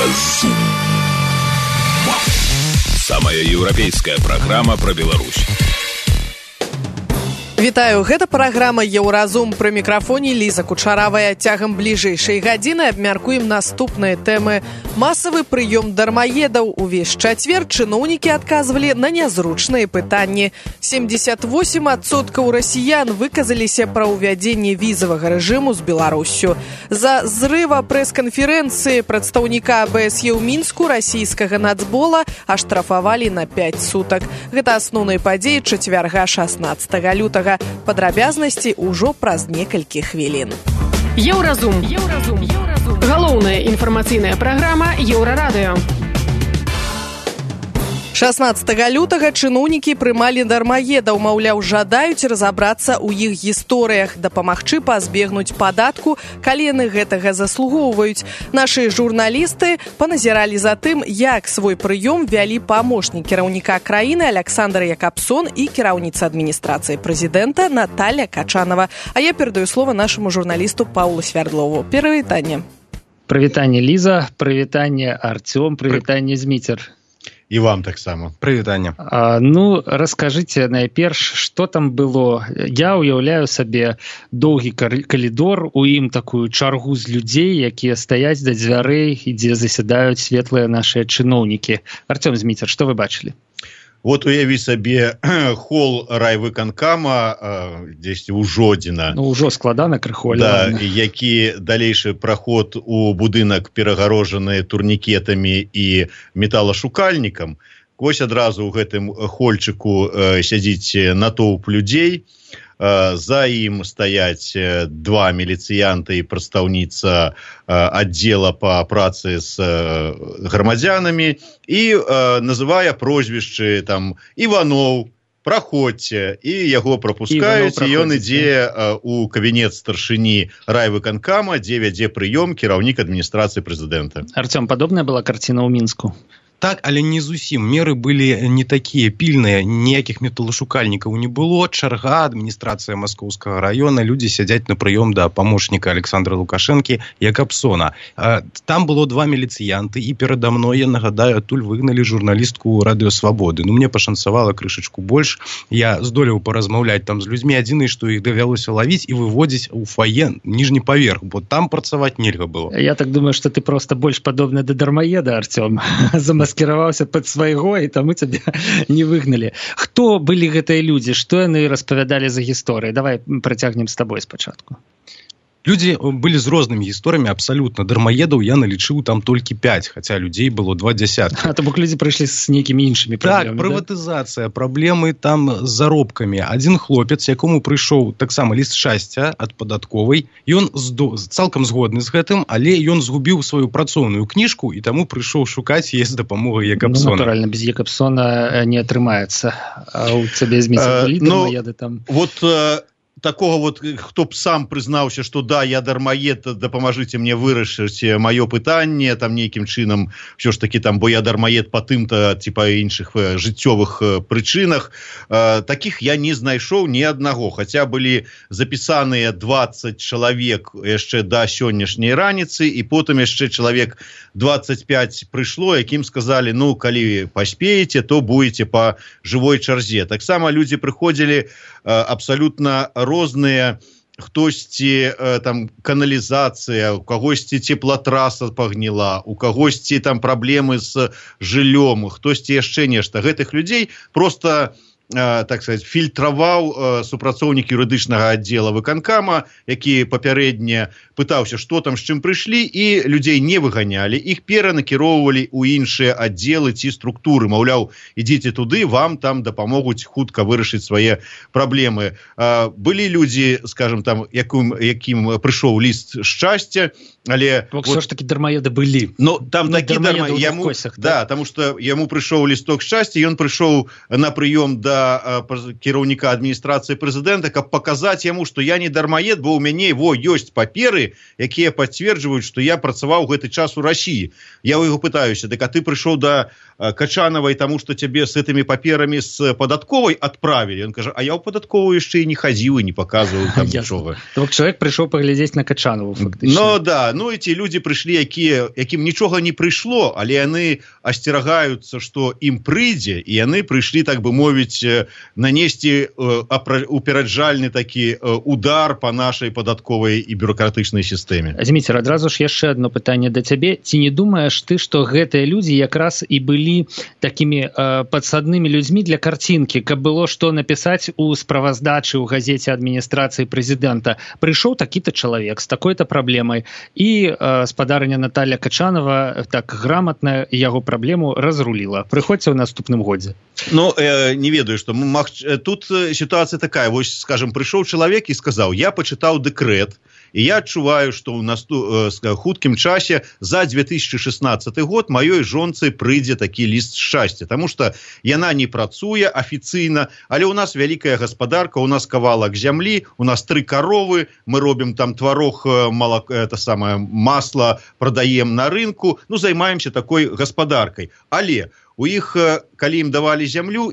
Еўразум. Самая еўрапейская праграма пра Беларусь. Вітаю, гэта праграма «Еўразум». Пры мікрафоне Ліза Кучаравая. Цягам бліжэйшай гадзіны абмяркуем наступныя тэмы. Масавы прыём дармаедаў. Увесь чацвер чыноўнікі адказвалі на нязручныя пытанні. 78% расіян выказаліся пра ўвядзенне візавага рэжыму з Беларуссю. За зрыва прэс-канферэнцыі прадстаўніка АБСЕ ў Мінску расійскага нацбола аштрафавалі на 5 сутак. Гэта асноўныя падзеі чацвярга 16 лютага. Падрабязнасці ўжо праз некалькі хвілін. Еўразум. Галоўная інфармацыйная праграма Еўрарадыё. 16 лютага чыноўнікі прымалі дармаедаў, маўляў, жадаюць разабрацца ў іх гісторыях, дапамагчы пазбегнуць падатку, калі яны гэтага заслугоўваюць. Нашы журналісты паназіралі за тым, як свой прыём вялі памочнік кіраўніка краіны Александр Якабсон і кіраўніца адміністрацыі прэзідэнта Наталья Качанова. А я перадаю слова нашаму журналісту Паўлу Свярдлову. Прывітанне. Прывітанне, Ліза, прывітанне, Артём, прывітанне, Зміцер. І вам таксама. Прывітанне. Ну, раскажыце найперш, што там было. Я ўяўляю сабе доўгі калідор, у ім такую чаргу з людзей, якія стаяць да дзвярэй і дзе засядаюць светлыя нашыя чыноўнікі. Артём, Зміцер, што вы бачылі? Вот уяві сабе хол райвыканкама дзесьці ў Жодзіна. Ну, ўжо складана крыху. Да, які далейшы праход у будынак перагарожаны турнікетамі і металашукальнікам. Вось адразу ў гэтым хольчыку сядзіць натоўп людзей. За ім стаяць два міліцыянты і прадстаўніца аддзела па працы з грамадзянамі і называе прозвішчы там Іваноў, праходзьце, і яго прапускаюць, і ён ідзе у кабінет старшыні райвыканкама, дзе вядзе прыём кіраўнік адміністрацыі прэзідэнта. Артём, падобная была карціна ў Мінску? Так, але не зусім. Меры былі не такія пільныя, ніякіх металашукальнікаў не было. Чарга, адміністрацыя Маскоўскага раёна, людзі сядзяць на прыём да памочніка Александра Лукашэнкі Якабсона. Там было два міліцыянты, і перада мной, я нагадаю, адтуль выгналі журналістку Радыё Свабоды. Ну, мне пашанцавала крышачку больш. Я здолеў паразмаўляць там з людзьмі. Адзінае, што іх давялося лавіць і выводзіць у фае ніжні паверх, бо там працаваць нельга было. Я так думаю, што ты проста больш падобны да дармаеда, Артём. Скіраваўся пад свайго, і таму цябе не выгналі. Хто былі гэтыя людзі? Што яны распавядалі за гісторыі? Давай працягнем з табой спачатку. Людзі былі з рознымі гісторыямі абсалютна. Дармаедаў я налічыў там толькі 5, хаця людзей было 20. То бок людзі прыйшлі з нейкімі іншымі праблемамі. Так, прыватызацыя, праблемы там з заробкамі. Адзін хлопец, якому прыйшоў таксама ліст шчасця ад падатковай, ён цалкам згодны з гэтым, але ён згубіў сваю працоўную кніжку і таму прыйшоў шукаць яе з дапамогай Якабсона. Ну, натуральна, без Якабсона не атрымаецца. А у цябе Зміцер былі дармаеды там? Вот такого вот, хто б сам прызнаўся, што да, я дармаед, дапамажыце мне вырашыць маё пытанне, там нейкім чынам, ўсё ж такі там, бо я дармаед па тым-то, ці па іншых жыццёвых прычынах. Такіх я не знайшоў ні аднаго, хаця былі запісаныя 20 чалавек яшчэ да сённяшняй раніцы, і потым яшчэ чалавек 25 прыйшло, якім сказалі, ну, калі паспееце, то будете па жывой чарзе. Таксама людзі прыходзілі абсалютна розныя, хтосьці там каналізацыя, у кагосьці цеплатраса пагніла, у кагосьці там праблемы з жыллём, хтосьці яшчэ нешта. Гэтых людзей просто, так сказать, фільтраваў супрацоўнік юрыдычнага аддзела выканкама, які папярэдне пытаўся, што там, з чым прыйшлі, і людзей не выганялі, іх перанакіроўвалі ў іншыя аддзелы ці структуры. Маўляў, ідзіце туды, вам там дапамогуць хутка вырашыць свае праблемы. Былі людзі, скажем, там, якім прыйшоў ліст шчасця, але... Все ж таки дармаеды былі. Ну, там такі дармаеды, да, таму што яму прыйшоў лісток шчасця, ён прыйшоў на прыём да да кіраўніка адміністрацыі прэзідэнта, каб паказаць яму, што я не дармаед, бо ў мяне ёсць паперы, якія пацверджваюць, што я працаваў гэты час у Расіі. Я ў яго пытаюся, дык а ты прыйшоў да Качанавай, таму што цябе з гэтымі паперамі з падатковай адправілі. Ён кажа, а я ў падатковую яшчэ і не хадзіў і не паказваў там нічога. Бок чалавек прыйшоў паглядзець на Качанову, фактычна. Ну да, ну і ці людзі прыйшлі, якім нічога не прыйшло, але яны асцерагаюцца, што ім прыйдзе, і яны прыйшлі, так бы мовіць, нанесці упераджальны такі удар па нашай падатковай і бюрократычнай сістэме. Зміцер, адразу ж яшчэ одно пытанне да цябе. Ці не думаеш ты, што гэтыя людзі якраз і былі такімі падсаднымі людзьмі для карцінкі, каб было што напісаць у справаздачы ў газеце адміністрацыі прэзідэнта? Прыйшоў такі-то чалавек з такой-то праблемай, і спадарыня Наталья Качанова так грамотна яго праблему разруліла. Прыходзьце ў наступным годзе. Ну, не ведаю, што тут сітуацыя такая. Вось, скажем, прыйшоў чалавек і сказаў, я пачытаў дэкрэт, і я адчуваю, што ў хуткім часе за 2016 год маёй жонцы прыйдзе такі ліст шчасця, таму што яна не працуе афіцыйна, але ў нас вялікая гаспадарка, у нас кавалак зямлі, у нас 3 каровы, мы робім там тварог, масла прадаем на рынку, ну, займаемся такой гаспадаркай. Але у іх, калі ім давалі зямлю,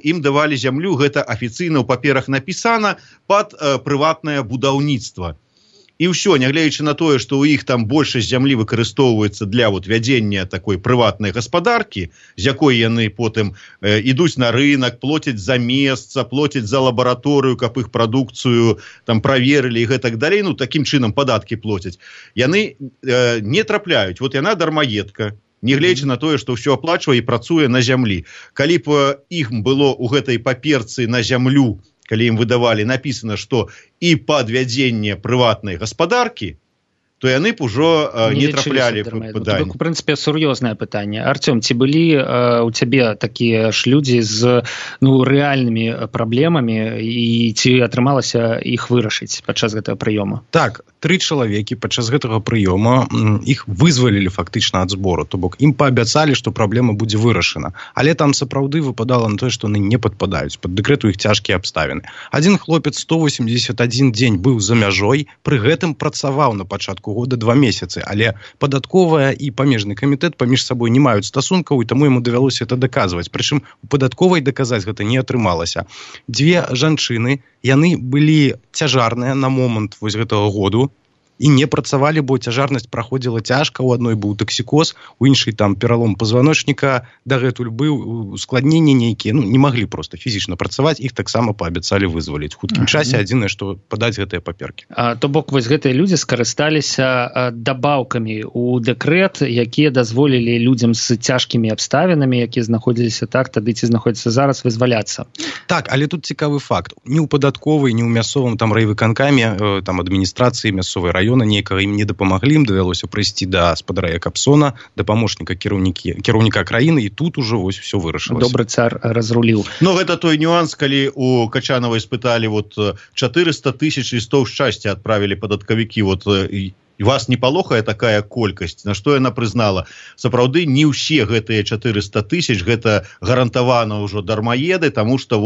гэта афіцыйна ў паперах напісана пад прыватнае будаўніцтва. І ўсё, нягледзячы на тое, што ў іх там большасць зямлі выкарыстоўваецца для вядзення такой прыватнай гаспадаркі, з якой яны потым ідуць на рынок, плоцяць за месца, плоцяць за лабараторыю, каб іх прадукцыю там праверылі і гэтак далей, ну, такім чынам падаткі плоцяць. Яны не трапляюць. Вот яна дармаедка, нягледзячы на тое, што ўсё аплачвае і працуе на зямлі. Калі б іх было ў гэтай паперцы на зямлю, калі ім выдавалі, напісана, што і падвядзенне прыватнай гаспадаркі, то яны б ужо не траплялі пытанне. У прынцыпе, сур'ёзнае пытанне. Артём, ці былі у цябе такія ж людзі з рэальнымі праблемамі, і ці атрымалася іх вырашыць падчас гэтага прыёма? Так, 3 чалавекі падчас гэтага прыёма іх вызвалілі фактычна ад збору, то бок ім паабяцалі, што праблема будзе вырашана. Але там сапраўды выпадала на тое, што яны не падпадаюць. Пад дэкрэту іх цяжкія абставіны. Адзін хлопец 181 дзень быў за мяжой, пры гэтым працаваў на пачатку года 2 месяцы, але падатковая і памежны камітэт паміж сабой не маюць стасункаў, і таму яму давялося это даказваць. Прычым у падатковай даказаць гэта не атрымалася. 2 жанчыны, яны былі цяжарныя на момант вось гэтага году, і не працавалі, бо цяжарнасць праходзіла цяжка, у адной быў таксікоз, у іншай там пералом пазваночніка, дагэтуль быў ускладненні нейкія, ну, не маглі проста фізічна працаваць, іх таксама паабяцалі вызваліць. У хуткім часе адзінае, што падаць гэтыя паперкі. То бок, вось гэтыя людзі скарысталіся дабаўкамі ў дэкрэт, якія дазволілі людзям з цяжкімі абставінамі, якія знаходзіліся так, тады ці знаходзяцца зараз, вызваляцца. Так, але тут цікавы факт. Ні ў падатковай, ні ў мясцовым там райвыканкаме, там адміністрацыі мясцовай раёна некага ім не дапамаглі, ім давялося прыйсці да спадара Якабсона, да памочніка кіраўніка краіны, і тут ужо вось усё вырашылася. Добры цар разруліў. Ну, гэта той нюанс, калі у Качановай спыталі 400 тысяч лістоў шчасця адправілі падаткавікі, і вас не палохае такая колькасць, на што яна прызнала. Сапраўды, не ўсе гэтыя 400 тысяч, гэта гарантавана ўжо дармаеды, таму што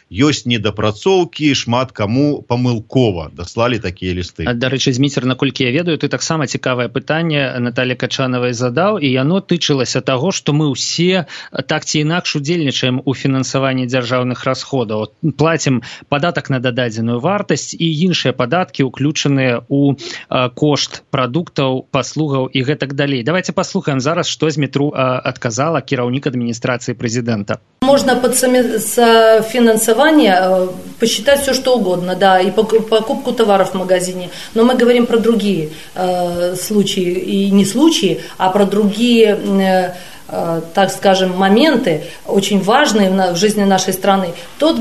ёсць недапрацоўкі, шмат каму памылкова даслалі такія лісты. Дарэчы, Зміцер, наколькі я ведаю, ты таксама цікавае пытанне Наталья Качановай задаў, і яно тычылася таго, што мы ўсе так ці інакш удзельнічаем у фінансаванні дзяржаўных расходаў. Плацім падатак на дададзеную вартасць і іншыя падаткі, уключаныя ў кошт прадуктаў, паслугаў і гэтак далей. Давайте послухаем зараз, што Змітру адказала кіраўнік адміністрацыі прэзідэнта. Можно под финансование посчитать все, что угодно, да, и покупку товаров в магазине. Но мы говорим про другие случаи, и не случаи, а про другие, так скажем, моменты, очень важные в жизни нашей страны. То,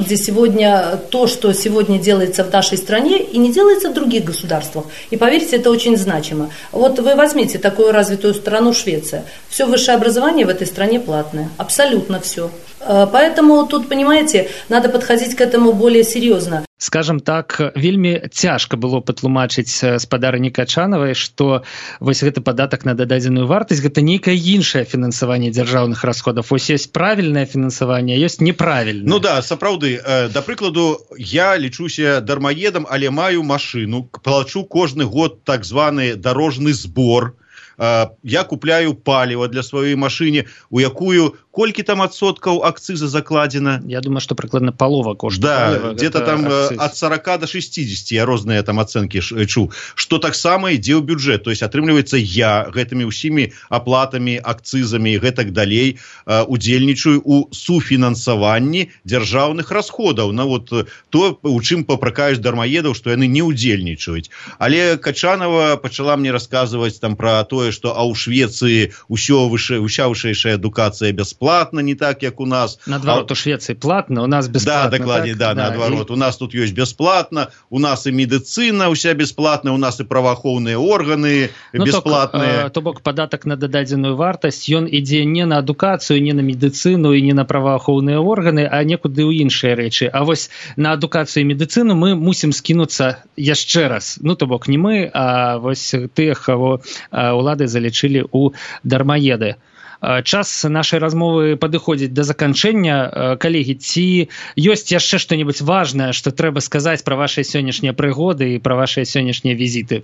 что сегодня делается в нашей стране и не делается в других государствах. И поверьте, это очень значимо. Вот вы возьмите такую развитую страну Швеция. Все высшее образование в этой стране платное. Абсолютно все. Поэтому тут, понимаете, надо подходить к этому более серьезно. Скажем так, вельмі цяжка было патлумачыць спадарні Качанавай, што вось гэты падатак на дададзеную вартасць гэта нейкае іншае фінансаванне дзяржаўных расходаў. Вось ёсць правільнае фінансаванне, а ёсць неправільнае. Ну да, сапраўды. Да прыкладу, я лічуся дармаедам, але маю машыну, плачу кожны год так званы дарожны збор. Я купляю паліва для сваёй машыне, у якую колькі там адсоткаў акцыза закладзена? Я думаю, што прыкладна палова кошту да, паліва. Где-то там акциз. От 40 до 60, я розныя там ацэнкі чуў, што таксама ідзе ў бюджэт. То есть, атрымліваецца, я гэтымі ўсімі аплатамі, акцызамі і гэтак далей удзельнічаю у суфінансаванні дзяржаўных расходаў. Ну, вот, то, у чым папракаюць дармаедаў, што яны не удзельнічаюць. Але Качанова пачала мне расказваць там пра тое, што ў Швецыі ўся вышэйшая адукацыя бясплатна, не так, як у нас. Наадварот, у Швецыі платна, у нас бясплатна. Да, дакладней, так? Наадварот. У нас тут ёсць бясплатна, у нас і медыцына ўся бясплатная, у нас і праваахоўныя органы бясплатныя. То бок, падатак на дададзеную вартасць, ён ідзе не на адукацыю, не на медыцыну і не на праваахоўныя органы, а некуды ў іншыя рэчы. А вось на адукацыю і медыцыну мы мусім скінуцца яшчэ раз. Ну, то бок, не мы, а вось тыя, каго улады залічылі ў дармаеды. Час нашай размовы падыходзіць да заканчэння. Калегі, ці ёсць яшчэ што-небудзь важнае, што трэба сказаць пра вашыя сённяшнія прыгоды і пра вашыя сённяшнія візіты?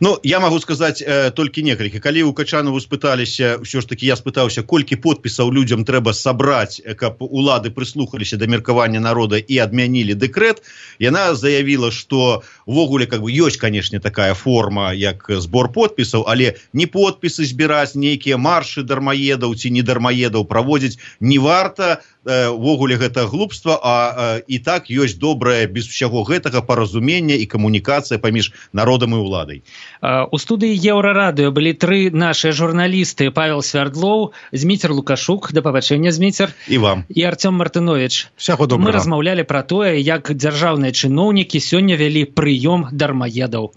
Ну, я магу сказаць толькі некалькі. Калі ў Качанову спыталіся, ўсё ж такі я спытаўся, колькі подпісаў людзям трэба сабраць, каб улады прыслухаліся да меркавання народа і адмянілі дэкрэт, яна заявіла, што увогуле ёсць, канешне, такая форма, як збор подпісаў, але не подпісы збіраць, нейкія маршы дармаедаў ці не дармаедаў праводзіць не варта, увогуле гэта глупства, а і так ёсць добрае без усяго гэтага паразумення і камунікацыя паміж народам і ўладай. У студыі Еўрарадыё былі тры нашыя журналісты: Павел Свярдлоў, Зміцер Лукашук, да пабачэння, Зміцер, і вам, і Артём Мартынович. Всяго добрага. Мы размаўлялі пра тое, як дзяржаўныя чыноўнікі сёння вялі прыём дармаедаў.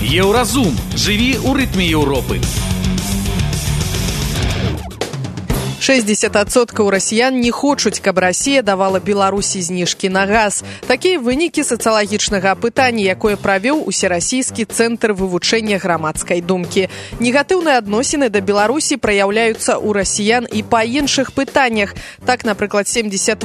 Еўразум. Жыві ў рытме Еўропы. 60% расіян не хочуць, каб Расія давала Беларусі зніжкі на газ. Такія вынікі сацыялагічнага апытання, якое правёў Усерасійскі цэнтр вывучэння грамадскай думкі. Негатыўныя адносіны да Беларусі праяўляюцца ў расіян і па іншых пытаннях. Так, напрыклад, 78%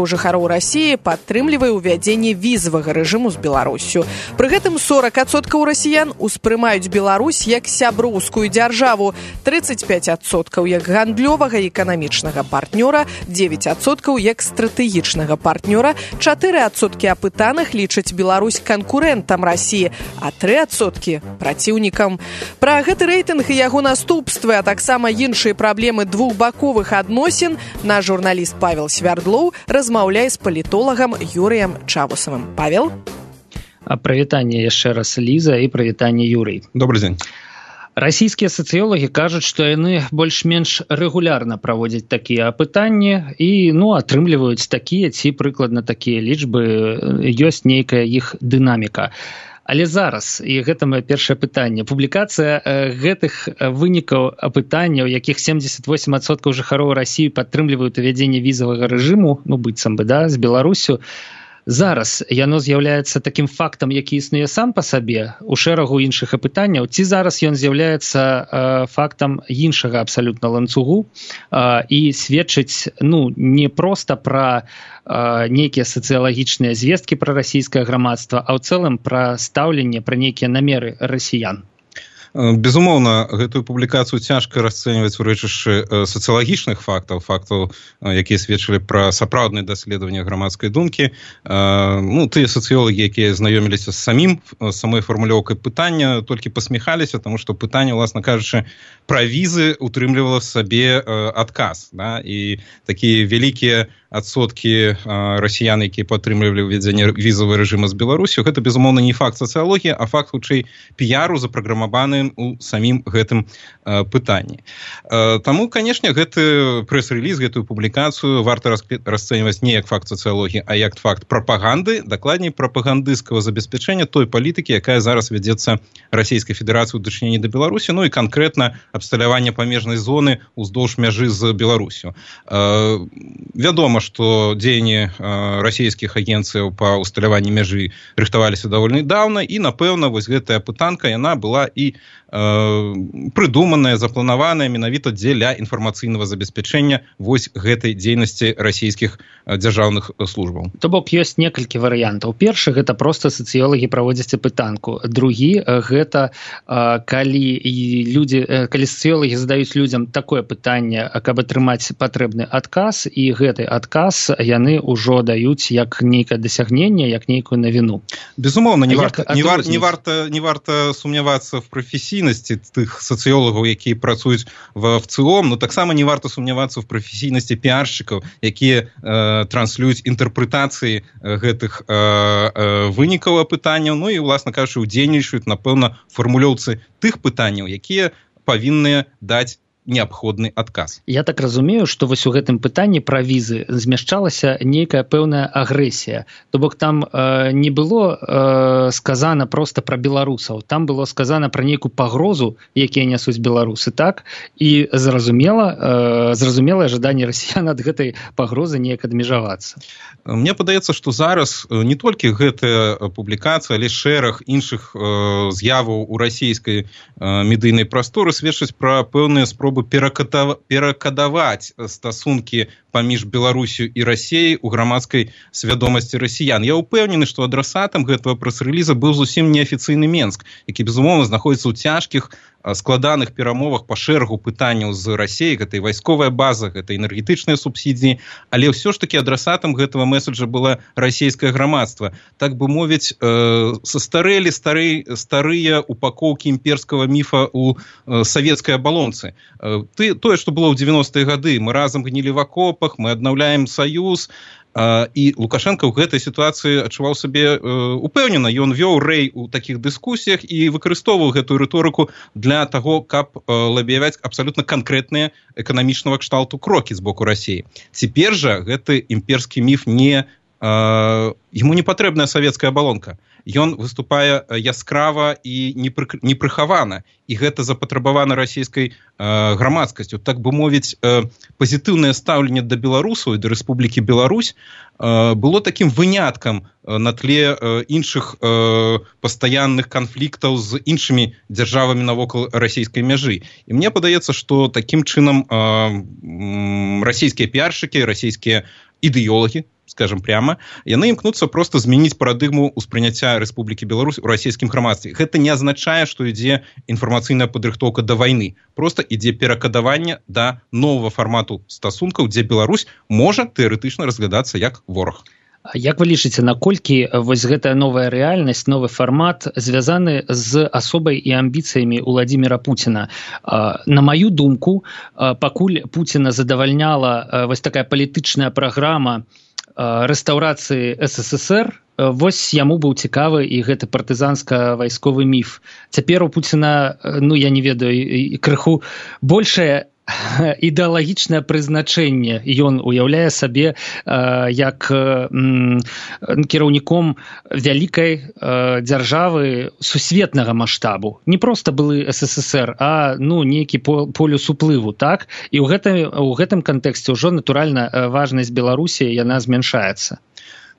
жыхароў Расіі падтрымлівае ўвядзенне візавага рэжыму з Беларусю. Пры гэтым 40% расіян успрымаюць Беларусь як сяброўскую дзяржаву, 35% як гандлёвага і эканамічнага партнёра, 9% як стратэгічнага партнёра, 4% апытаных лічаць Беларусь канкурэнтам Расіі, а 3% праціўнікам. Пра гэты рэйтынг і яго наступствы, а таксама іншыя праблемы двухбаковых адносін наш журналіст Павел Свярдлоў размаўляе з палітолагам Юрыем Чавусавым. Павел? Прывітанне яшчэ раз, Ліза, і прывітанне, Юрый. Добрый дзень. Расійскія сацыёлагі кажуць, што яны больш-менш рэгулярна праводзяць такія апытанні і, атрымліваюць такія ці прыкладна такія лічбы, ёсць нейкая іх дынаміка. Але зараз, і гэта маё першае пытанне, публікацыя гэтых вынікаў апытання, у якіх 78% жыхароў Расіі падтрымліваюць увядзенне візавага рэжыму, быццам бы, з Беларусю, зараз яно з'яўляецца такім фактам, які існуе сам па сабе у шэрагу іншых апытанняў, ці зараз ён з'яўляецца фактам іншага абсалютна ланцугу і сведчыць не проста пра нейкія сацыялагічныя звесткі пра расійскае грамадства, а ў цэлым пра стаўленне, пра нейкія намеры расіян? Безумоўна, гэтую публікацыю цяжка расцэньваць у рэчышчы сацыялагічных фактаў, якія сведчылі пра сапраўднае даследаванне грамадскай думкі. Тыя сацыёлагі, якія знаёміліся з самой фармулёўкай пытання, толькі пасміхаліся, таму што пытанне, уласна кажучы, пра візы утрымлівала в сабе адказ. І такія вялікія адсоткі расіян, якія падтрымлівалі ўвядзенне візавага рэжыма з Беларусю, гэта, безумоўна, не факт сацыялогіі, а факт, хутчэй, піяру, запраграмаваным у самім гэтым пытанні. Таму, канешне, гэты прэс-рэліз, гэтую публікацыю варта расцэньваць не як факт сацыялогіі, а як факт прапаганды, дакладней, прапагандысцкага забеспячэння той палітыкі, якая зараз вядзецца Расійскай Федэрацыі ў дачыненні да Беларусі, ну і канкрэтна абсталявання памежнай зоны ўздоўж мяжы з Беларусю. Вядома, што дзеянні расійскіх агенцыяў па ўсталяванні мяжы рыхтаваліся даволі даўна, і, напэўна, вось гэтая пытанка, яна была і прыдуманая, запланаваная менавіта дзеля інфармацыйнага забеспячэння вось гэтай дзейнасці расійскіх дзяржаўных службаў. То бок ёсць некалькі варыянтаў. Першы, гэта проста сацыёлагі праводзяць апытанку. Другі, гэта калі сацыёлагі задаюць людзям такое пытанне, каб атрымаць патрэбны адказ, і гэты адказ яны ўжо даюць як нейкае дасягненне, як нейкую навіну. Безумоўна, не варта сумнявацца в прафесійнасці тых сацыёлагаў, якія працуюць в ВЦИОМ, но таксама не варта сумнявацца в прафесійнасці піаршчыкаў, якія транслююць інтэрпрэтацыі гэтых вынікаў апытанняў, ну і, уласна кажучы, удзельнічаюць, напэўна, фармулёўцы тых пытанняў, якія павінны даць неабходны адказ. Я так разумею, што вось у гэтым пытанні пра візы змяшчалася нейкая пэўная агрэсія. То бок там не было сказана проста пра беларусаў, там было сказана пра нейкую пагрозу, якія нясуць беларусы, так? І зразумелае жаданне расіян ад гэтай пагрозы неяк адмежавацца. Мне падаецца, што зараз не толькі гэтая публікацыя, але шэраг іншых з'яваў у расійскай медыйнай прасторы сведчаць пра пэўныя спробы перакадаваць стасункі паміж Беларусю і Расіяй у грамадскай свядомасці расіян. Я ўпэўнены, што адрасатам гэтага прэс-рэліза быў зусім неафіцыйны Менск, які, безумоўна, знаходзіцца ў цяжкіх, складаных перамовах па шэрагу пытанняў з Расіяй, гэта і вайсковая база, гэта энергетычныя субсідіі, але ўсё ж такі адрасатам гэтага месаджа была расійскае грамадства. Так бы мовіць, састарэлі старыя упакоўкі імперскага міфа ў савецкай абалонцы. Тое, што было ў 90-е гады, мы разам гнілі в акопах, мы аднаўляем саюз, і Лукашенко ў гэтай сітуацыі адчуваў сабе упэўнена. Ён вёў рэй у такіх дыскусіях і выкарыстоўваў гэтую рыторыку для таго, каб лабіяваць абсалютна канкрэтныя эканамічнага кшталту крокі з боку Расіі. Цяпер жа гэты імперскі міф яму не патрэбная савецкая абалонка. Ён выступае яскрава і непрыхавана. І гэта запатрабавана расійскай грамадскасцю. Так бы мовіць, пазітыўнае стаўленне да беларусаў і да Рэспублікі Беларусь было такім выняткам на тле іншых пастаянных канфліктаў з іншымі дзяржавамі навокал расійскай мяжы. І мне падаецца, што такім чынам расійскія піаршчыкі, расійскія ідэолагі, скажем прямо, яны імкнуцца проста змяніць парадыгму ўспрыняцця Рэспублікі Беларусь у расійскім грамадстве. Гэта не азначае, што ідзе інфармацыйная падрыхтоўка да вайны. Проста ідзе перакадаванне да новага фармату стасункаў, дзе Беларусь можа тэарэтычна разглядацца як вораг. Як вы лічыце, наколькі вось гэтая новая рэальнасць, новы фармат звязаны з асобай і амбіцыямі Уладзіміра Пуціна? На маю думку, пакуль Пуціна задавальняла вось такая палітычная праграма рэстаўрацыі СССР, вось яму быў цікавы і гэты партызанска-вайсковы міф. Цяпер у Пуціна, я не ведаю, крыху большае ідэалагічнае прызначэнне. Ён уяўляе сабе як кіраўніком вялікай дзяржавы сусветнага маштабу. Не проста былы СССР, а нейкі полюс уплыву, так? І ў гэтым кантэксце ўжо, натуральна, важнасць Беларусі, яна змяншаецца.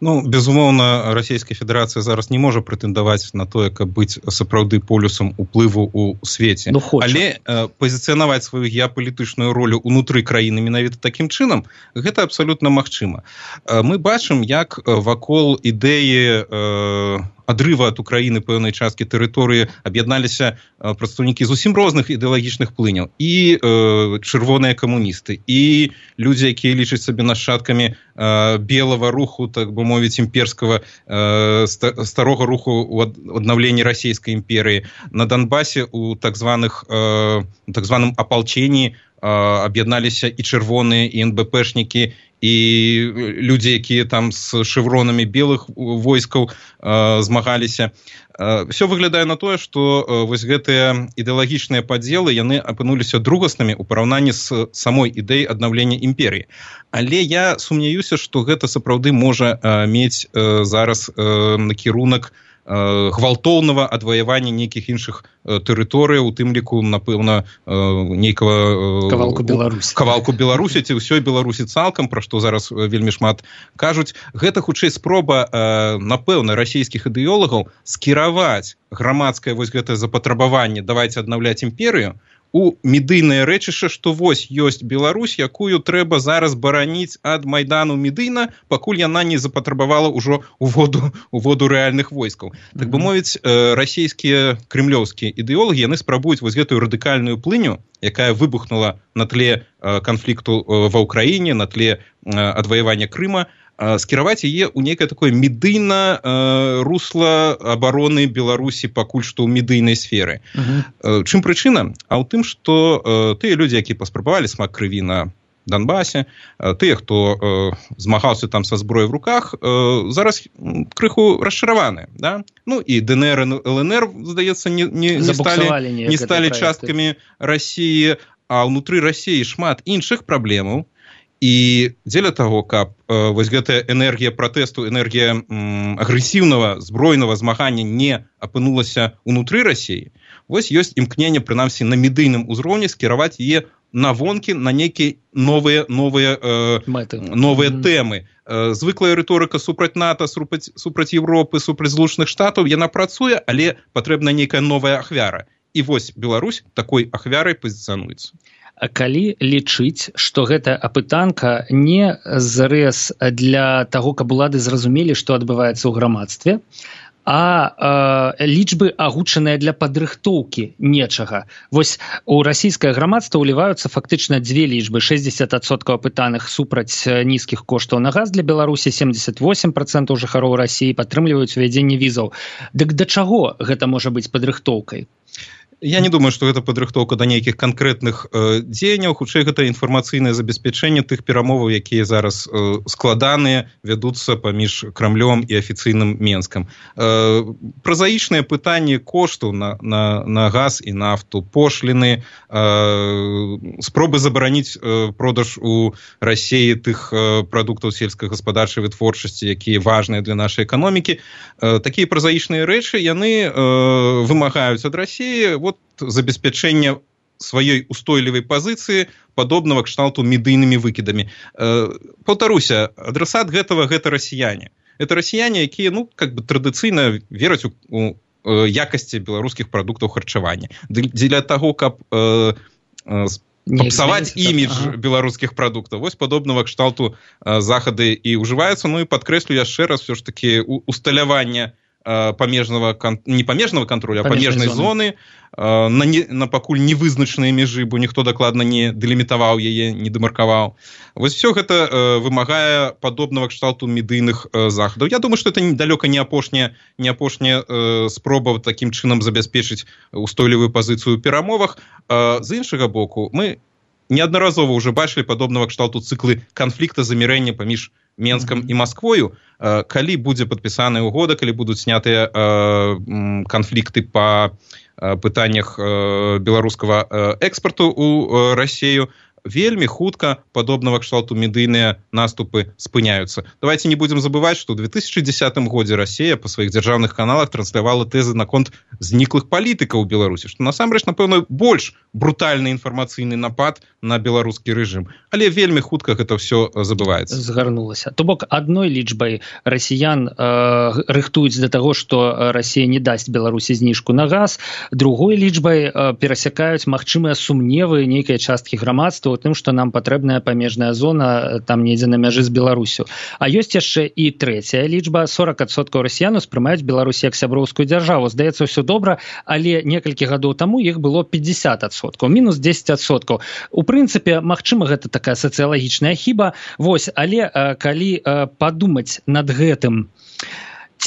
Безумоўна, Расійская Федэрацыя зараз не можа прэтэндаваць на тое, каб быць сапраўды полюсам уплыву ў свеце. Але пазіцыянаваць сваю геапалітычную ролю ўнутры краіны менавіта такім чынам, гэта абсалютна магчыма. Мы бачым, як вакол ідэі адрыва ад Украіны пэўнай часткі тэрыторыі аб'ядналіся прадстаўнікі зусім розных ідэалагічных плыняў. І чырвоныя камуністы, і людзі, якія лічаць сабе нашчадкамі белага руху, так бы мовіць, імперскага, старога руху ў аднаўленні расійскай імперыі. На Донбасе у так званым апалченні аб'ядналіся і чырвоныя, і НБПшнікі, і людзі, якія там з шэвронамі белых войскаў змагаліся. Все выглядае на тое, што вось гэтыя ідэалагічныя падзелы, яны апынуліся другаснымі ў параўнанні з самой ідэяй аднаўлення імперіі. Але я сумняюся, што гэта сапраўды можа мець зараз накірунак гвалтоўнага адваявання нейкіх іншых тэрыторыяў, у тым ліку, напэўна, нейкага кавалку Беларусі ці ўсёй Беларусі цалкам, пра што зараз вельмі шмат кажуць. Гэта хутчэй спроба, напэўна, расійскіх ідэолагаў скіраваць грамадскае вось гэтае запатрабаванне давайце аднаўляць імперыю у медыйнае рэчышча, што вось ёсць Беларусь, якую трэба зараз бараніць ад Майдану Медыйна, пакуль яна не запатрабавала ўжо у воду рэальных войскаў. Так бы мовіць, расійскія крэмлёўскія ідэолагі, яны спрабуюць вось гэтую радыкальную плыню, якая выбухнула на тле канфлікту ва ўкраіне, на тле адваявання Крыма, скіраваць яе ў нейкае такое медыйна русла абароны Беларусі пакуль што ў медыйнай сферы. Чым прычына? А ў тым, што тыя людзі, якія паспрабавалі смак крыві на Донбасе, тыя, хто змагаўся там са зброяй в руках, зараз крыху расчараваны. Да? Ну і ДНР і ЛНР, здаецца, не сталі часткамі Расіі, а ўнутры Расіі шмат іншых праблемаў. І дзеля таго, каб вось гэтая энергія пратэсту, энергія агрэсіўнага збройнага змагання не апынулася ўнутры Расіі, вось ёсць імкненне, прынамсі, на медыйным узроўні скіраваць яе на вонкі, на нейкія новыя тэмы. Звыклая рыторыка супраць НАТО, супраць Европы, супраць Злучаных Штатаў, яна працуе, але патрэбна нейкая новая ахвяра. І вось Беларусь такой ахвярай пазіцыянуецца. Калі лічыць, што гэта апытанка не зрэз для таго, каб улады зразумелі, што адбываецца ў грамадстве, а лічбы агучаныя для падрыхтоўкі нечага. Вось у расійскае грамадства ўліваюцца фактычна дзве лічбы. 60% апытаных супраць нізкіх коштаў на газ для Беларусі, 78% жыхароў Расіі падтрымліваюць увядзенне візаў. Дык да чаго гэта можа быць падрыхтоўкай? Я не думаю, што гэта падрыхтоўка да нейкіх канкрэтных дзеянняў, хутчэй гэта інфармацыйнае забеспячэнне тых перамоваў, якія зараз складаныя, вядуцца паміж Крамлём і афіцыйным Менскам. Празаічныя пытанні коштаў на газ і нафту, пошліны, спробы забараніць продаж у Расіі тых прадуктаў сельскагаспадарчай вытворчасці, якія важныя для нашай эканомікі. Такія празаічныя рэчы, яны вымагаюць ад Расіі забеспячэння сваёй устойлівай пазіцыі, падобнага кшталту медыйнымі выкідамі. Паўтаруся, адрасат гэта расіяне. Это расіяне, якія, традыцыйна вераць у якасці беларускіх прадуктаў харчавання. Дзеля таго, каб папсаваць імідж беларускіх прадуктаў. Вось падобнага кшталту захады і ўжываюцца. Ну і падкрэслю яшчэ раз, все ж таки усталяванне не памежнага контроля, а памежнай зоны на пакуль невызначаныя мяжы, бо ніхто дакладна не дэлімітаваў яе, не дэмаркаваў. Вось все гэта вымагае падобнага кшталту медыйных захадаў. Я думаю, што это далёка не апошняя спроба такім чынам забяспечыць устойлівую пазіцыю ў перамовах. З іншага боку, мы неаднаразова ўжо бачылі падобнага кшталту цыклы канфлікта, замірэння паміж Менскам і Масквою. Калі будзе падпісаная угода, калі будуць снятыя канфлікты па пытаннях беларускага экспарту ў Расію, вельмі хутка падобнага кшталту медыйныя наступы спыняюцца. Давайте не будем забываць, што ў 2010 годзе Расія па сваіх дзяржаўных каналах транслявала тэзы наконт зніклых палітыкаў у Беларусі, што насамрэч, напэўна, больш брутальны інфармацыйны напад на беларускі рэжым. Але вельмі хутка гэта ўсё забываецца. Згарнулася. То бок, адной лічбай расіян рыхтуюць для таго, што Расія не дасць Беларусі зніжку на газ, другой лічбай перасякаюць магчымыя сумневы нейкай часткі грамадства у тым, што нам патрэбная памежная зона там недзе на мяжы з Беларусю. А ёсць яшчэ і трэцяя лічба. 40% расіян успрымаюць Беларусь як сяброўскую дзяржаву. Здаецца, ўсё добра, але некалькі гадоў таму іх было 50%, мінус 10%. У прынцыпе, магчыма, гэта такая сацыялагічная хіба. Вось, але калі падумаць над гэтым,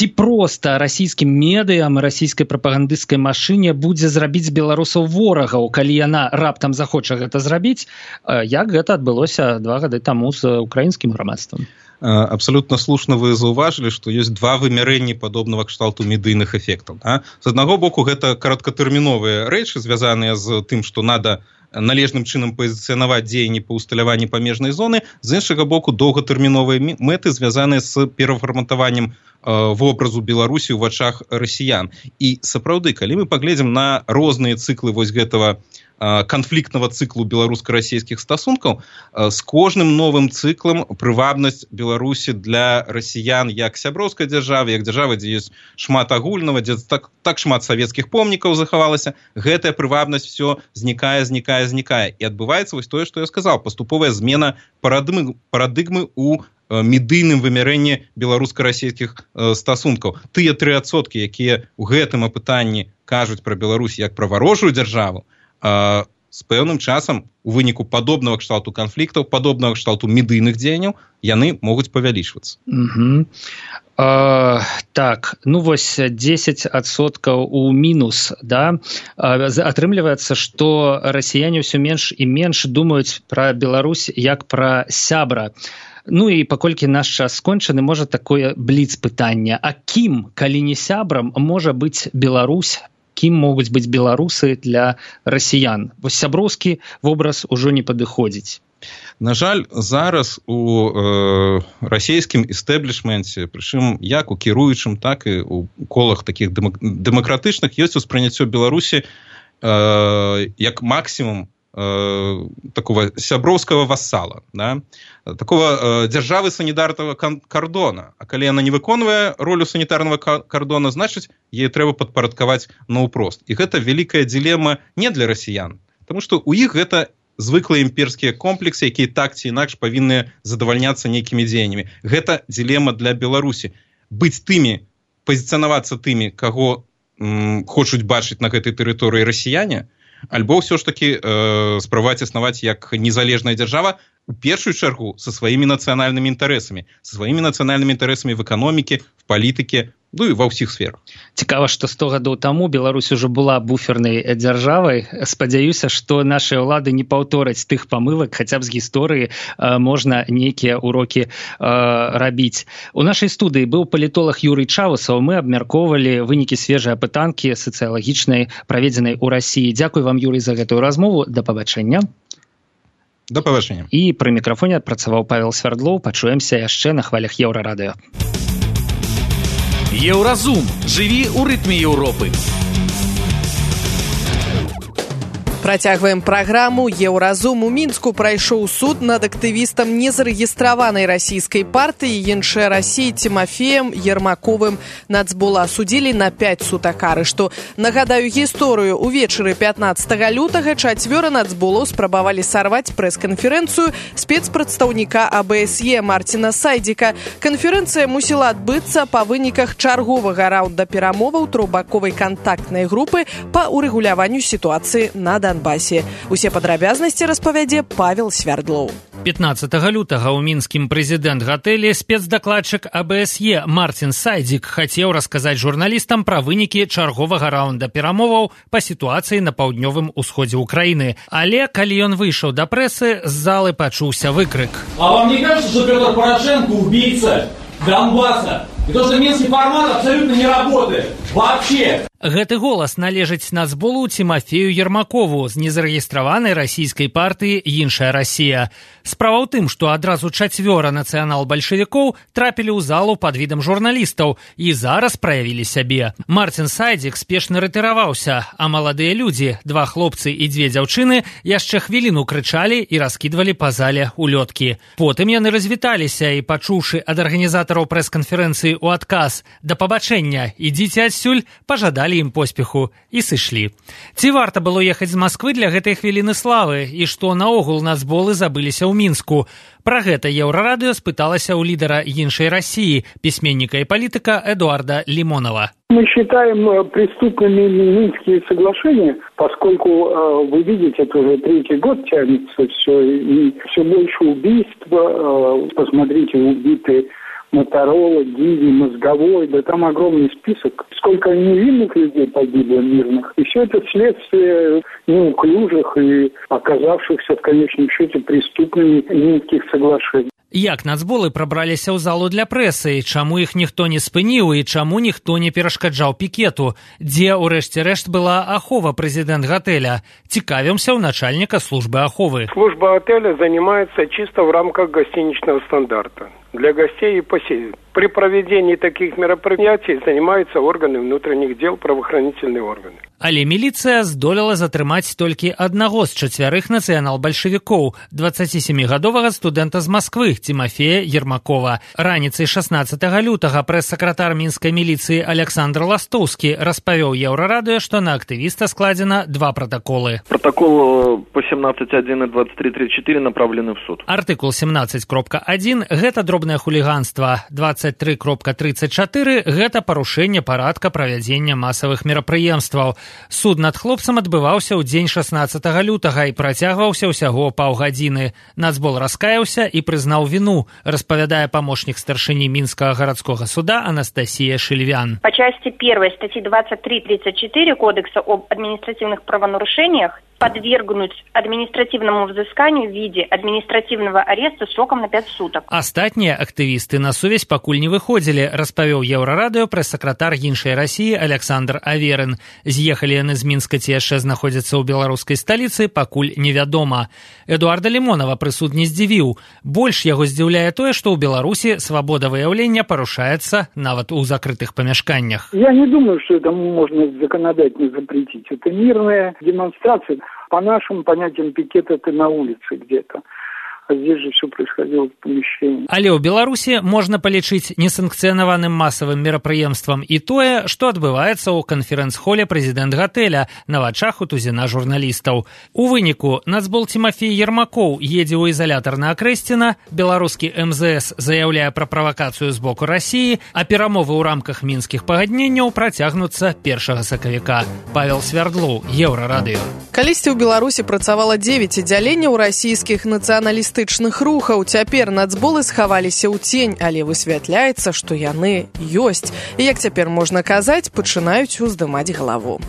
ці проста расійскім медыям, расійскай прапагандысцкай машыне будзе зрабіць беларусаў ворагаў, калі яна раптам захоча гэта зрабіць, як гэта адбылося 2 гады таму з украінскім грамадствам? Абсолютно слушно вы заўважылі, што ёсць два вымярэнні падобнага кшталту медыйных эфектаў. З аднаго боку, гэта кароткатэрміновыя рэчы, звязаныя з тым, што надо належным чынам пазіцыянаваць дзеянні па ўсталяванні памежнай зоны, з іншага боку, доўгатэрміновыя мэты, звязаныя з перафарматаваннем вобразу Беларусі ў вачах расіян. І сапраўды, калі мы паглядзім на розныя цыклы вось гэтага канфліктнага цыклу беларуска-расійскіх стасункаў, з кожным новым цыклам прывабнасць Беларусі для расіян як сяброўскай дзяржавы, як дзяржавы, дзе ёсць шмат агульнага, дзе так шмат савецкіх помнікаў захавалася, гэтая прывабнасць все знікае. І адбываецца вось тое, што я сказаў, паступовая змена парадыгмы ў медыйным вымярэнні беларуска-расійскіх стасункаў. Тыя 3%, якія ў гэтым апытанні кажуць пра Беларусь як пра варожую дзяржаву, з пэўным часам у выніку падобнага кшталту канфліктаў, падобнага кшталту медыйных дзеянняў яны могуць павялічвацца. Так, ну вось 10% у мінус, да? Атрымліваецца, што расіяне ўсё менш і менш думаюць пра Беларусь як пра сябра. Ну і паколькі наш час скончаны, можа такое бліц пытанне. А кім, калі не сябрам, можа быць Беларусь? Кім могуць быць беларусы для расіян? Вось сяброўскі вобраз ужо не падыходзіць. На жаль, зараз у расійскім эстэблішменце, прычым як у кіруючым, так і у колах такіх дэмакратычных, ёсць успрыняццё Беларусі як максімум такого сяброўскага вассала, да? Такого дзяржавы санітарнага кардона. А калі яна не выконвае ролю санітарнага кардона, значыць, яе трэба падпарадкаваць наўпрост. І гэта вялікая ділема не для расіян, таму што ў іх гэта звыклыя імперскія комплексы, якія так ці інакш павінны задавальняцца нейкімі дзеяннямі. Гэта ділема для Беларусі. Быць тымі, пазіцыянавацца тымі, каго хочуць бачыць на гэтай тэрыторыі расіяне, альбо ўсё ж такі спрабаваць існаваць як незалежная дзяржава, у першую чаргу са сваімі нацыянальнымі інтарэсамі, в эканоміке, в палітыке, ну і ва ўсіх сферах. Цікава, што 100 гадоў таму Беларусь ужо была буфернай дзяржавай. Спадзяюся, што нашыя ўлады не паўтораць тых памылак, хаця б з гісторыі можна нейкія урокі рабіць. У нашай студыі быў палітолог Юрый Чаусаў. Мы абмяркоўвалі вынікі свежай апытанкі сацыялагічнай, праведзенай у Расіі. Дзякуй вам, Юрый, за гэтую размову. Да пабачэння. Да пабачэння. І пры мікрафоне працаваў Павел Свярдлоў. Пачуемся яшчэ на хвалях Еўрарадыё. Еўразум. Жыві ў рытме Еўропы. Працягваем праграму. Еўразум. У Мінску прайшоў суд над актывістам незарэгістраванай расійскай партыі «Іншая Расія» Тимофеем Ермаковым. Нацбола судзілі на 5 сутак арышту. Нагадаю гісторыю. Увечары 15 лютага 4 нацболаў спрабавалі сарваць прэс-канферэнцыю спецпрадстаўніка АБСЕ Марціна Сайдзіка. Канферэнцыя мусіла адбыцца па выніках чарговага раунда перамоваў трохбаковай кантактнай групы па урэгуляванню сітуацыі на Донбассе. Усе падрабязнасці распавядзе Павел Свярдлоў. 15 лютага ў мінскім прэзідэнт-гатэлі спецдакладчык АБСЕ Марцін Сайдзік хацеў расказаць журналістам пра вынікі чарговага раунда перамоваў па сітуацыі на паўднёвым усходзе ўкраіны. Але калі ён выйшаў да прэсы, з залы пачуўся выкрык. А вам не кажется, что Петр Порошенко убийца Донбасса? И то, что минский формат абсолютно не работает. Вообще. Гэты голас належыць нацболу Тимофею Ермакову з незарэгістраванай расійскай партыі «Іншая Расія». Справа ў тым, што адразу 4 нацыянал-бальшавікоў трапілі ў залу пад відам журналістаў і зараз праявілі сябе. Марцін Сайдзік спешна рэтыраваўся, а маладыя людзі, 2 хлопцы і 2 дзяўчыны, яшчэ хвіліну крычалі і раскідвалі па зале улёткі. Потым яны развіталіся і, пачуўшы ад арганізатараў прэс-канферэнцыі ў адказ «Да пабачэння, ідзіце адсюль», пажадалі ім поспеху і сышлі. Ці варта было ехаць з Масквы для гэтай хвіліны славы і што наогул нацболы забыліся ў Мінску? Пра гэта Еўрарадыё спыталася у лідара «Іншай Расіі», пісьменніка и политика Эдуарда Лимонова. Мы считаем преступными Минские соглашения, поскольку, вы видите, это уже 3-й год тянется все, и все больше убийств. Посмотрите, убиты Моторола, Гиви, Мозговой, да там огромный список. Сколько невинных людей погибло, мирных. И все это следствие неуклюжих и оказавшихся в конечном счете преступными Минских соглашений. Як нацболы прабраліся ў залу для прэсы, чаму іх ніхто не спыніў і чаму ніхто не перашкаджаў пікету? Дзе, урэшце рэшт, была ахова прэзідэнт гатэля? Цікавімся ў начальника службы аховы. Служба отеля занимается чисто в рамках гостиничного стандарта. Для гостей и посетителей. При проведении таких мероприятий занимаются органы внутренних дел, правоохранительные органы. Але міліцыя здолела затрымаць толькі аднаго з 4 нацыянал-бальшавікоў, 27-гадовага студэнта з Масквы, Тимофея Ермакова. Раніцай 16 лютага прэс-сакратар мінскай міліцыі Александр Ластоўскі распавёў Еўрарадыё, што на актывіста складзена 2 протоколы. Протокол по 17.1 и 23.34 направлены в суд. Артыкул 17.1 – гэта дробнае хуліганства. 23.34 – гэта парушэнне парадка правядзення масавых мерапрыемстваў. Суд над хлопцам адбываўся ў дзень 16 лютага і працягваўся ўсяго паўгадзіны. Нацбол раскаяўся і прызнаў віну, распавядае памочнік старшыні Мінскага гарадскога суда Анастасия Шильвян. По части 1 статьи 23-34 Кодекса об административных правонарушениях подвергнуть административному взысканию в виде административного ареста сроком на 5 суток. Астатнія актывісты на сувязь пакуль не выходзілі, распавёў Еўрарадыё прэс-сакратар іншай Расіі Александр Аверин. З'ехалі яны з Мінска ці яшчэ знаходзяцца ў беларускай сталіцы, пакуль невядома. Эдуарда Лімонова прысуд не здзівіў. Больш яго здзіўляе тое, што ў Беларусі свабода выяўлення парушаецца нават у закрытых памяшканнях. Я не думаю, что это можно законодательно запретить. Это мирная демонстрация. По нашим понятиям пикет это на улице где-то. А здесь же все происходило в помещении. Але ў Беларусі можна палічыць несанкцыянаваным масавым мерапрыемствам і тое, што адбываецца ў канферэнц-холе прэзідэнт гатэля на вачах у тузіна журналістаў. У выніку нацбол Тимофей Ермакоў едзе ў ізалятар на Акрэсціна, беларускі МЗС заяўляе пра правакацыю з боку Расіі, а перамовы ў рамках мінскіх пагадненняў працягнуцца 1 сакавіка. Павел Свярдлоў, Еўрарадыё. Калісьці ў Беларусі працавала 9 аддзяленняў расійскіх нацыяналістычных рухаў. Цяпер нацболы схаваліся ў цень, але высвятляецца, што яны ёсць. І, як цяпер можна казаць, пачынаюць уздымаць галаву.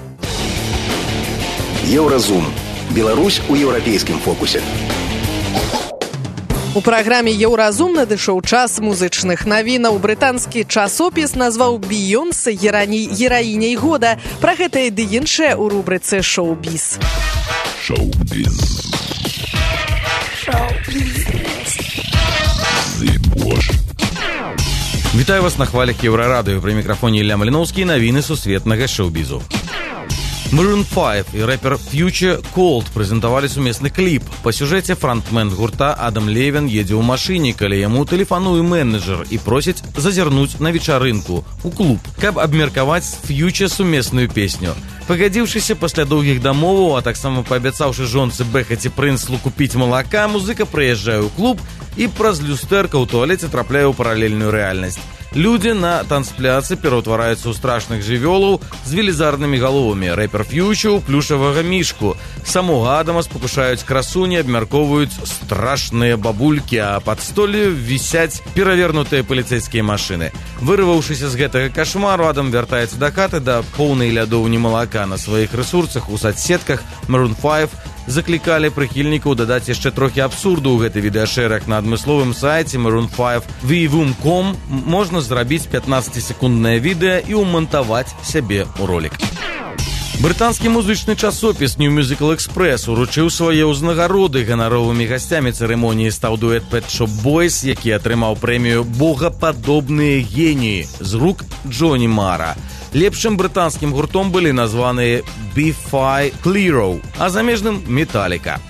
Еўразум. Беларусь у еўрапейскім фокусе. У праграме «Еўразум» надышоў час музычных навінаў. Брытанскі часопіс назваў Бейонсе гераіняй года. Пра гэта і ды іншае ў рубрыцы «Шоу-біз». Шоу-біз. Вітаю вас на хвалях Еўрарадыё. Пры мікрафоне Ілля Маліноўскі, навіны сусветнага шоу-бізу. Maroon 5 і рэпер Future Cold прэзентавалі сумесны кліп. Па сюжэце франтмен гурта Адам Левін едзе ў машыне, калі яму тэлефануе менеджер і просіць зазірнуць на вечарынку ў клуб, каб абмеркаваць з Future сумесную песню. Пагадзіўшыся пасля доўгіх дамоваў, а таксама паабяцаўшы жонцы Бэхаці Прынслу купіць малака, музыка прыязджае ў клуб і праз люстэрка ў туалеце трапляе ў паралельную рэальнасць. Людзі на танцпляцы пераўтвараюцца ў страшных жывёлаў з велізарнымі галовамі. Рэпер Фьючер у плюшавага мішку. Самога Адама спакушаюць красуні, абмяркоўваюць страшныя бабулькі, а пад столлю вісяць перавернутыя паліцэйскія машыны. Вырваўшыся з гэтага кашмару, Адам вяртаецца да хаты да поўнай лядоўні малака. На сваіх рэсурсах у садсетках Maroon 5 заклікалі прыхільнікаў дадаць яшчэ трохі абсурду ў гэты відэашэраг. На адмысловым сайце maroon5vvum.com можна зрабіць 15-секунднае відэа і ўмантаваць сябе ў ролік. Брытанскі музычны часопіс New Musical Express уручыў свае ўзнагароды. Ганаровымі гасцямі цырымоніі стаў дуэт Pet Shop Boys, які атрымаў прэмію «Богападобныя геніі» з рук Джоні Мара. Лепшым брытанскім гуртом былі названыя Bi-Fi Clearo, а замежным Металліка.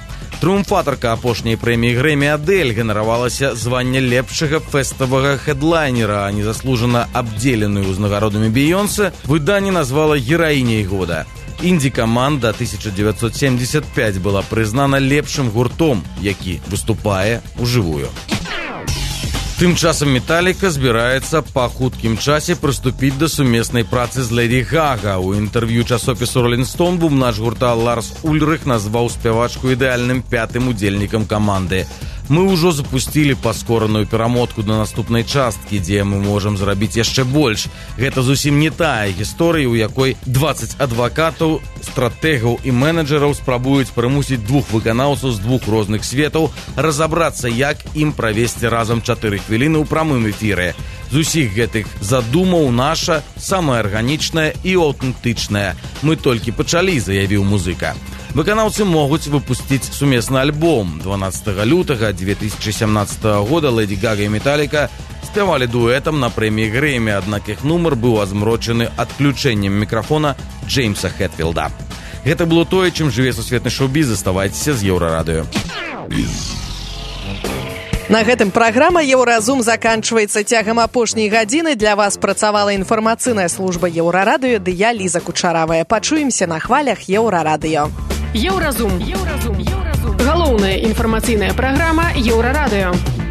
Трыумфатарка апошняй прэміі Грэмі Адель ганаравалася звання лепшага фэставага хедлайнера, а незаслужана абдзеленую ўзнагародамі Бейонсе выданне назвала гераіняй года. Інді-каманда 1975 была прызнана лепшым гуртом, які выступае ўжывую. Тым часам Металліка збіраецца па хуткім часе прыступіць да сумеснай працы з Лэді Гага. У інтэрв'ю часопісу Rolling Stone бубнач гурта Ларс Ульрых назваў спявачку ідэальным 5-м удзельнікам каманды. Мы ўжо запусцілі паскораную перамотку да наступнай часткі, дзе мы можам зрабіць яшчэ больш. Гэта зусім не тая гісторыя, у якой 20 адвакатаў, стратэгаў і менеджераў спрабуюць прымусіць двух выканаўцаў з двух розных светаў разабрацца, як ім правесці разам 4 хвіліны ў прамым эфіры. З усіх гэтых задумаў наша самая арганічная і аўтэнтычная. Мы толькі пачалі, заявіў музыка. Выканаўцы могуць выпусціць сумесны альбом. 12 лютага 2017 года Лэдзі Гага і Металліка спявалі дуэтам на прэміі Грэмі, аднак іх нумар быў азмрочаны адключэннем мікрафона Джеймса Хэтфілда. Гэта было тое, чым жыве сусветны шоу-біз. Заставайцеся з Еўрарадыё. На гэтым праграма «Еўразум» заканчваецца. Цягам апошняй гадзіны для вас працавала інфармацыйная служба Еўрарадыё ды я, Ліза Кучаравая. Пачуемся на хвалях Еўрарадыё. Еўразум. Галоўная інфармацыйная праграма Еўрарадыё.